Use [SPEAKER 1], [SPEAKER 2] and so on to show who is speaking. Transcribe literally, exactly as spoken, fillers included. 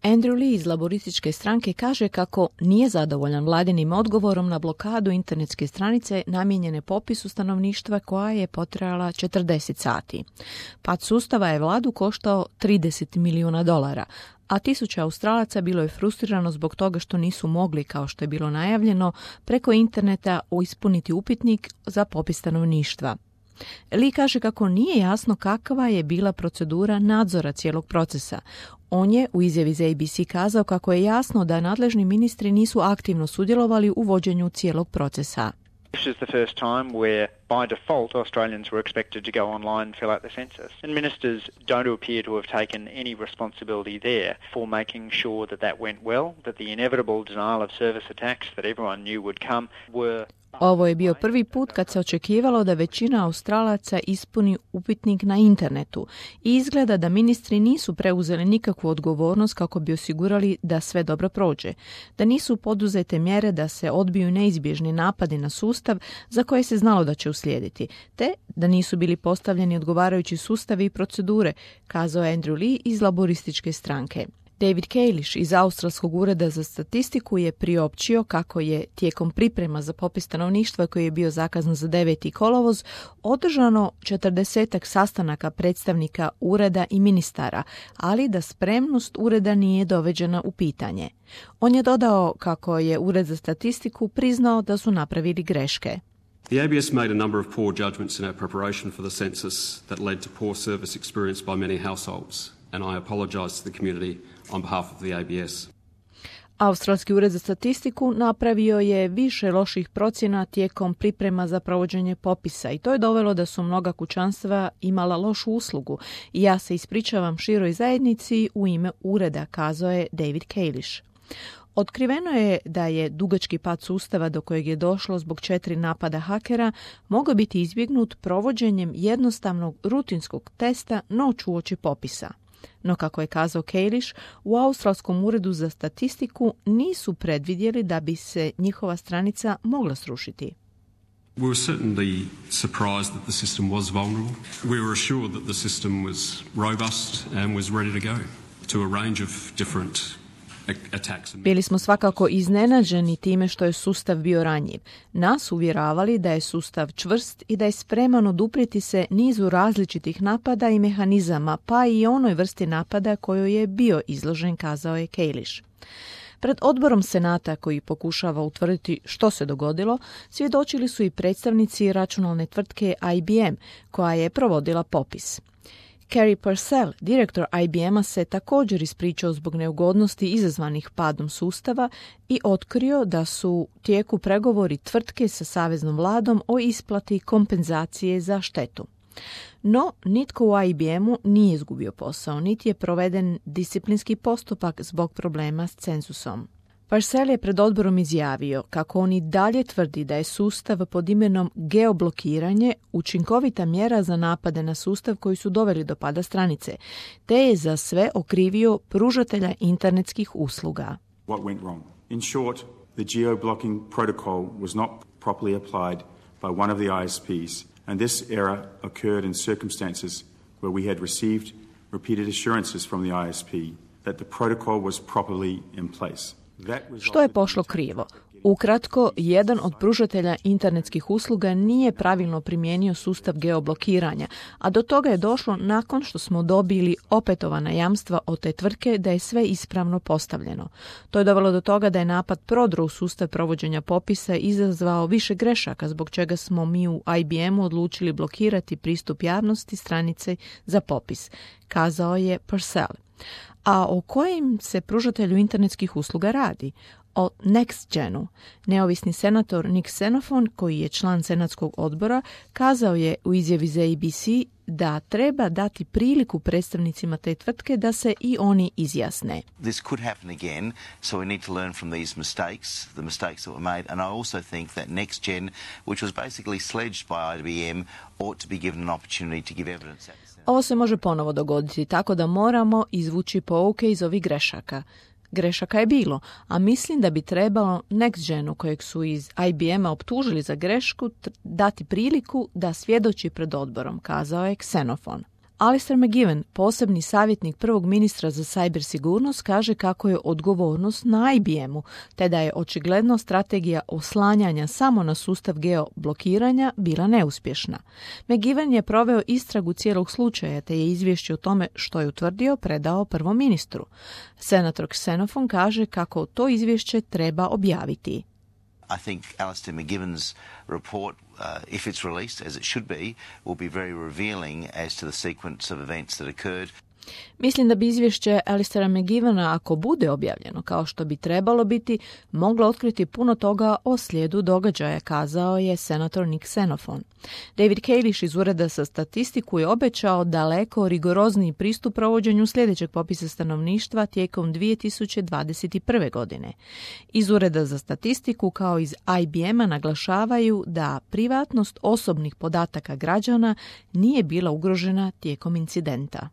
[SPEAKER 1] Andrew Lee iz laborističke stranke kaže kako nije zadovoljan vladinim odgovorom na blokadu internetske stranice namijenjene popisu stanovništva koja je potrajala četrdeset sati. Pad sustava je vladu koštao trideset milijuna dolara, a tisuća Australaca bilo je frustrirano zbog toga što nisu mogli, kao što je bilo najavljeno, preko interneta ispuniti upitnik za popis stanovništva. Lee kaže kako nije jasno kakva je bila procedura nadzora cijelog procesa. On je u izjavi za A B C kazao kako je jasno da nadležni ministri nisu aktivno sudjelovali u vođenju cijelog procesa.
[SPEAKER 2] This is the first time where, by default, Australians were expected to go online and fill out the census. And ministers don't appear to have taken any responsibility there for making sure that that went well, that the inevitable denial of service attacks that everyone knew would come were...
[SPEAKER 1] Ovo je bio prvi put kad se očekivalo da većina Australaca ispuni upitnik na internetu i izgleda da ministri nisu preuzeli nikakvu odgovornost kako bi osigurali da sve dobro prođe, da nisu poduzete mjere da se odbiju neizbježni napadi na sustav za koje se znalo da će uslijediti, te da nisu bili postavljeni odgovarajući sustavi i procedure, kazao je Andrew Lee iz laborističke stranke. David Kalish iz Australskog ureda za statistiku je priopćio kako je tijekom priprema za popis stanovništva koji je bio zakazan za deveti kolovoz održano četrdesetak sastanaka predstavnika ureda i ministara, ali da spremnost ureda nije doveđena u pitanje. On je dodao kako je ured za statistiku priznao da su napravili greške.
[SPEAKER 3] The A B S made a number of poor judgments in our preparation for the census that led to poor service experience by many households, and I apologise to the community on behalf of the A B S.
[SPEAKER 1] Australski ured za statistiku napravio je više loših procjena tijekom priprema za provođenje popisa i to je dovelo da su mnoga kućanstva imala lošu uslugu i ja se ispričavam široj zajednici u ime ureda, kazao je David Kalish. Otkriveno je da je dugački pad sustava do kojeg je došlo zbog četiri napada hakera mogao biti izbjegnut provođenjem jednostavnog rutinskog testa noć uoči popisa. No, kako je kazao Kalish, u Australskom uredu za statistiku nisu predvidjeli da bi se njihova stranica mogla srušiti.
[SPEAKER 3] We were certainly surprised that the system was vulnerable. We were assured that the system was robust and was ready to go to a range of different attacks.
[SPEAKER 1] Bili smo svakako iznenađeni time što je sustav bio ranjiv. Nas uvjeravali da je sustav čvrst i da je spreman oduprijeti se nizu različitih napada i mehanizama, pa i onoj vrsti napada kojoj je bio izložen, kazao je Kalish. Pred odborom Senata koji pokušava utvrditi što se dogodilo, svjedočili su i predstavnici računalne tvrtke I B M koja je provodila popis. Kerry Purcell, direktor I B M-a, se također ispričao zbog neugodnosti izazvanih padom sustava i otkrio da su u tijeku pregovori tvrtke sa saveznom vladom o isplati kompenzacije za štetu. No, nitko u I B M-u nije izgubio posao, niti je proveden disciplinski postupak zbog problema s cenzusom. Purcell je pred odborom izjavio kako on i dalje tvrdi da je sustav pod imenom geoblokiranje učinkovita mjera za napade na sustav koji su doveli do pada stranice, te je za sve okrivio pružatelja internetskih usluga.
[SPEAKER 4] What went wrong? In short, the geo-blocking protocol was not properly applied by one of the I S Ps, and this error occurred in circumstances where we had received repeated assurances from the I S P that the protocol was properly in place.
[SPEAKER 1] Što je pošlo krivo? Ukratko, jedan od pružatelja internetskih usluga nije pravilno primijenio sustav geoblokiranja, a do toga je došlo nakon što smo dobili opetovana jamstva od te tvrtke da je sve ispravno postavljeno. To je dovelo do toga da je napad prodro u sustav provođenja popisa izazvao više grešaka, zbog čega smo mi u I B M-u odlučili blokirati pristup javnosti stranice za popis, kazao je Purcell. A o kojim se pružatelju internetskih usluga radi? O NextGenu. Neovisni senator Nick Xenophon, koji je član senatskog odbora, kazao je u izjavi za A B C da treba dati priliku predstavnicima te tvrtke da se i oni izjasne.
[SPEAKER 5] This could happen again, so we need to learn from these mistakes, the mistakes that were made, and I also think that NextGen, which was basically sledged by I B M, ought to be given an opportunity to give evidence.
[SPEAKER 1] Ovo se može ponovo dogoditi, tako da moramo izvući pouke iz ovih grešaka. Grešaka je bilo, a mislim da bi trebalo NextGenu, kojeg su iz I B M-a optužili za grešku, dati priliku da svjedoči pred odborom, kazao je Xenophon. Alistair McGivern, posebni savjetnik prvog ministra za sajber sigurnost, kaže kako je odgovornost na I B M-u, te da je očigledno strategija oslanjanja samo na sustav geoblokiranja bila neuspješna. McGivern je proveo istragu cijelog slučaja, te je izvješće o tome što je utvrdio predao prvom ministru. Senator Xenophon kaže kako to izvješće treba objaviti.
[SPEAKER 5] I think Alistair McGivern's report, uh, if it's released, as it should be, will be very revealing as to the sequence of events that occurred.
[SPEAKER 1] Mislim da bi izvješće Alistaira McGivena, ako bude objavljeno kao što bi trebalo biti, moglo otkriti puno toga o slijedu događaja, kazao je senator Nick Xenophon. David Kalish iz Ureda za statistiku je obećao daleko rigorozniji pristup provođenju sljedećeg popisa stanovništva tijekom dvije tisuće dvadeset prve. godine. Iz Ureda za statistiku kao iz I B M-a naglašavaju da privatnost osobnih podataka građana nije bila ugrožena tijekom incidenta.